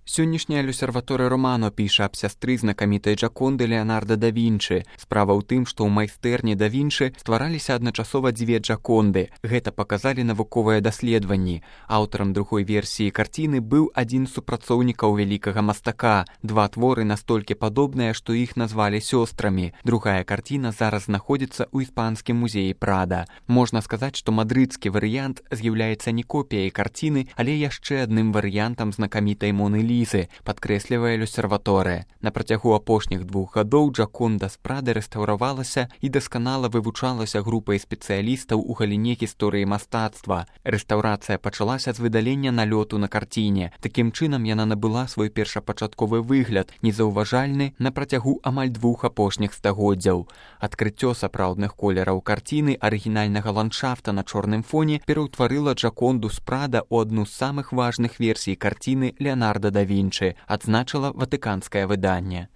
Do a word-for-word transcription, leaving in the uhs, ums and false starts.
Сённяшняя люсерваторыя Романо піша аб сястры знакамітай Джаконды Леанарда да Вінчы. Справа ў тым, што ў майстэрні да Вінчы ствараліся адначасова дзве Джаконды. Гэта паказалі навуковыя даследаванні. Аўтарам другой версіі карціны быў адзін з супрацоўнікаў вялікага мастака. Два творы настолькі падобныя, што іх назвалі сёстрамі. Другая карціна зараз знаходзіцца ў іспанскім музеі Прада. Можна сказаць, што мадрыдскі варыянт з'яўляецца не копіяй карціны, але яшчэ адным варыянтам знакамітай Моны Лізы, падкрэслівае люсерваторыя. На працягу апошніх двух гадоў Джаконда з Прады рэстаўравалася і дасканала вывучалася групай спецыялістаў у галіне гісторыі мастацтва. Рэстаўрацыя пачалася з выдалення налёту на карціне. Такім чынам яна набыла свой першапачатковы выгляд, незаўважальны на працягу амаль двух апошніх стагоддзяў. Адкрыццё сапраўдных колераў карціны арыгінальнага ландшафта на чорным фоне пераўтварыла Джаконду з Прада ў адну з самых важных версій карціны Леанарда да Вінчы, адзначыла ватыканскае выданне.